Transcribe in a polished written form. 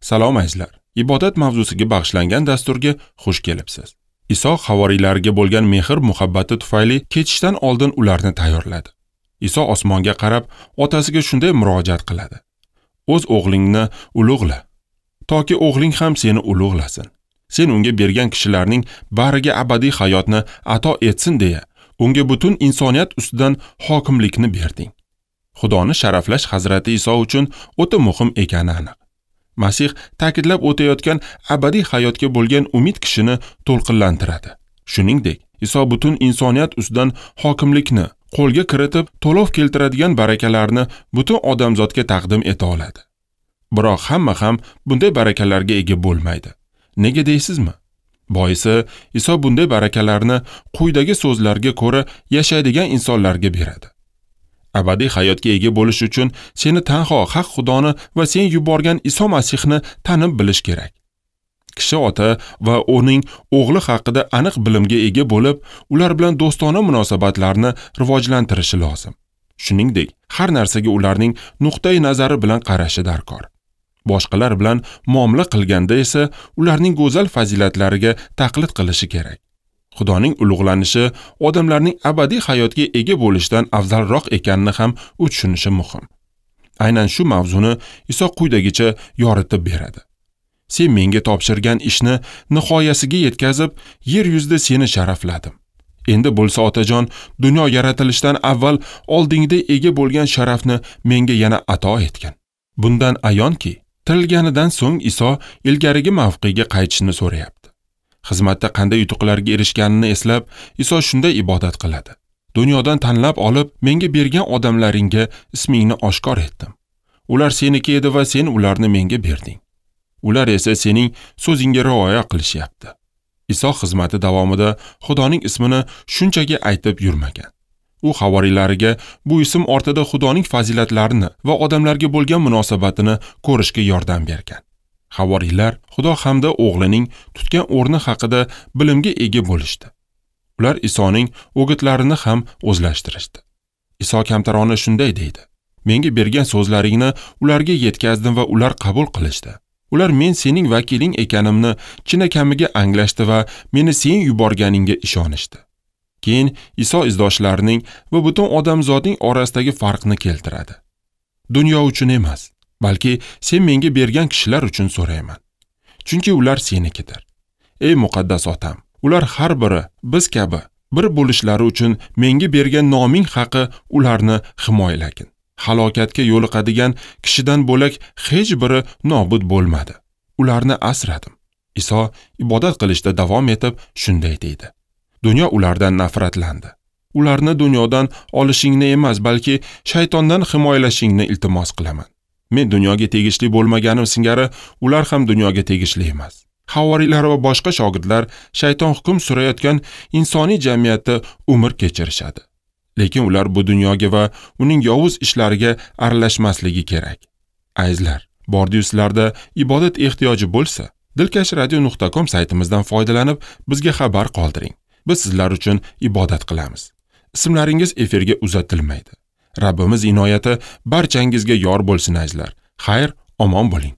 Salom azizlar. Ibodat mavzusiga bag'ishlangan dasturga xush kelibsiz. Iso havoriylariga bo'lgan mehr muhabbati tufayli ketishdan oldin ularni tayyorladi. Iso osmonga qarab otasiga shunday murojaat qiladi: O'z o'g'lingni ulug'la, toki o'g'ling ham seni ulug'lasin. Sen unga bergan kishilarning bariga abadiy hayotni ato etsin deya, unga butun insoniyat ustidan hokimlikni berding. Xudoni sharaflash Hazrati Iso uchun o'ta muhim ekani aniq. Masih ta'kidlab o'tayotgan abadiy hayotga bo'lgan umid kishini to'lqinlantiradi. Shuningdek, Iso butun insoniyat ustidan hokimlikni qo'lga kiritib, to'lov keltiradigan barakalarni butun odamzodga taqdim eta oladi. Biroq hamma ham bunday barakalarga ega bo'lmaydi. Nega deysizmi? Boisi, Iso bunday barakalarni quyidagi so'zlarga ko'ra yashaydigan insonlarga beradi. Abadiy hayotga ega bo'lish uchun seni tanho haq Xudoni va sen yuborgan Iso Masihni tanib bilish kerak. Kishi ota va uning o'g'li haqida aniq bilimga ega bo'lib, ular bilan do'stona munosabatlarni rivojlantirishi lozim. Shuningdek, har narsaga ularning nuqtai nazari bilan qarashi darkor. Boshqalar bilan muomala qilganda esa ularning go'zal fazilatlariga taqlid qilishi kerak. Xudoning ulug'lanishi odamlarning abadiy hayotga ega bo'lishidan afzalroq ekanini ham u tushunishi muhim. Aynan shu mavzuni Iso quyidagicha yoritib beradi. Sen menga topshirgan ishni nihoyasiga yetkazib, yer yuzida seni sharafladim. Endi bo'lsa otajon, dunyo yaratilishidan avval oldingda ega bo'lgan sharafni menga yana ato etgin. Bundan ayonki, tirilganidan so'ng Iso ilgarigi mavqega qaytishni so'rayapti. Xizmatda qanday yutuqlarga erishganini eslab, Iso shunday ibodat qiladi. Dunyodan tanlab olib, menga bergan odamlaringga ismingni oshkor etdim. Ular seniki edi va sen ularni menga berding. Ular esa sening so'zingga rioya qilishyapti. Iso xizmati davomida Xudoning ismini shunchaki aytib yurmagan. U havoriylariga bu ism ortida Xudoning fazilatlarini va odamlarga bo'lgan munosabatini ko'rishga yordam bergan. Havoriylar Xudo hamda o'g'lining tutgan o'rni haqida bilimga ega bo'lishdi. Ular Isoning o'gitlarini ham o'zlashtirishdi. Iso kamtarona shunday deydi: Menga bergan so'zlaringni ularga yetkazdim va ular qabul qilishdi. Ular men sening vakiling ekanimni chinakamiga anglashdi va meni sen yuborganingga ishonishdi. Keyin Iso izdoshlarining va butun odamzodning orasidagi farqni keltiradi. Dunyo uchun emas, balki sen menga bergan kishilar uchun so'rayman. Chunki ular senikidir. Ey muqaddas otam, ular har biri biz kabi bir bo'lishlari uchun menga bergan noming haqi ularni himoyalagin. Halokatga yo'liqadigan kishidan bo'lak hech biri nobud bo'lmadi. Ularni asradim. Iso ibodat qilishda davom etib shunday deydi: Dunyo ulardan nafratlandi. Ularni dunyodan olishingni emas, balki shaytondan himoyalashingni iltimos qilaman. Men dunyoga tegishli bo'lmaganim singari ular ham dunyoga tegishli emas. Havoriylar va boshqa shogirdlar shayton hukm surayotgan insoniy jamiyatda umr kechirishadi. Lekin ular bu dunyoga va uning yovuz ishlariga aralashmasligi kerak. Azizlar, bordiyu sizlarda ibodat ehtiyoji bo'lsa, dilkashradio.com saytimizdan foydalanib bizga xabar qoldiring. Biz sizlar uchun ibodat qilamiz. Ismlaringiz efirga uzatilmaydi. Rabbimiz inoyati barchangizga yor bo'lsin azizlar. Xayr, omon bo'ling.